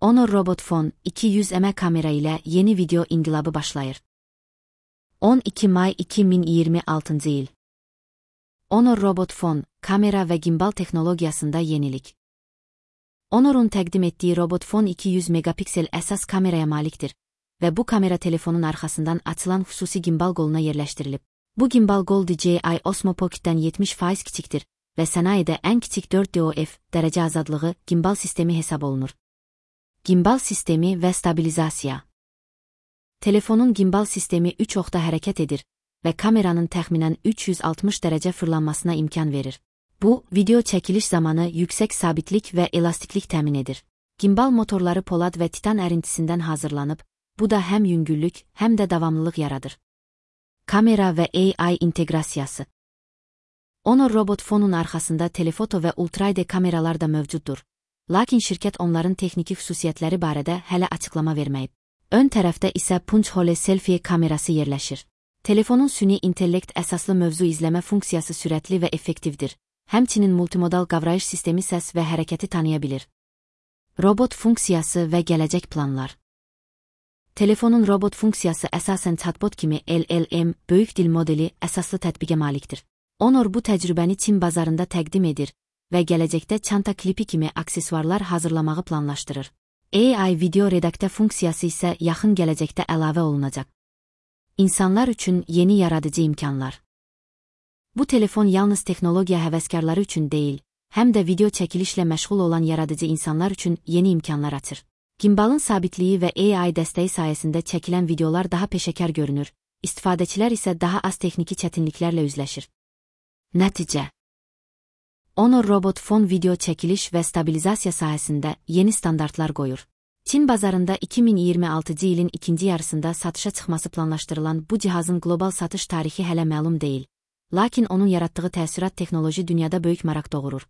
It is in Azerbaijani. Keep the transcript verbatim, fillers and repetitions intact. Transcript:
Honor Robot Phone iki yüz megapiksellik kamera ile yeni video inqilabı başlayır. on iki may iki min iyirmi altıncı il. Honor Robot Phone, kamera ve gimbal teknologiyasında yenilik. Honor'un təqdim etdiyi Robot Phone iki yüz megapiksel əsas kameraya malikdir və bu kamera telefonun arxasından açılan xüsusi gimbal qoluna yerləşdirilib. Bu gimbal qol D J I Osmo Pocket'dən yetmiş faiz kiçikdir və sənayedə ən kiçik dörd D O F dərəcə azadlığı gimbal sistemi hesab olunur. Gimbal sistemi və stabilizasiya. Telefonun gimbal sistemi üç oxda hərəkət edir və kameranın təxminən üç yüz altmış dərəcə fırlanmasına imkan verir. Bu, video çəkiliş zamanı yüksək sabitlik və elastiklik təmin edir. Gimbal motorları polad və titan ərintisindən hazırlanıb, bu da həm yüngüllük, həm də davamlılıq yaradır. Kamera və A I inteqrasiyası. Honor Robot Phone'un arxasında telefoto və ultra-HD kameralar da mövcuddur. Lakin şirkət onların texniki xüsusiyyətləri barədə hələ açıqlama verməyib. Ön tərəfdə isə punch hole selfie kamerası yerləşir. Telefonun süni intellekt əsaslı mövzu izləmə funksiyası sürətli və effektivdir. Həmçinin multimodal qavrayış sistemi səs və hərəkəti tanıya bilir. Robot funksiyası və gələcək planlar. Telefonun robot funksiyası əsasən chatbot kimi L L M, böyük dil modeli əsaslı tətbiqə malikdir. Honor bu təcrübəni Çin bazarında təqdim edir və gələcəkdə çanta klipi kimi aksesuarlar hazırlamağı planlaşdırır. A I video redaktə funksiyası isə yaxın gələcəkdə əlavə olunacaq. İnsanlar üçün yeni yaradıcı imkanlar. Bu telefon yalnız texnologiya həvəskarları üçün deyil, həm də video çəkilişlə məşğul olan yaradıcı insanlar üçün yeni imkanlar açır. Gimbalın sabitliyi və A I dəstəyi sayəsində çəkilən videolar daha peşəkar görünür, istifadəçilər isə daha az texniki çətinliklərlə üzləşir. Nəticə. Honor Robot Phone video çəkiliş və stabilizasiya sahəsində yeni standartlar qoyur. Çin bazarında iki min iyirmi altıncı ilin ikinci yarısında satışa çıxması planlaşdırılan bu cihazın qlobal satış tarixi hələ məlum deyil. Lakin onun yaratdığı təəssürat texnoloji dünyada böyük maraq doğurur.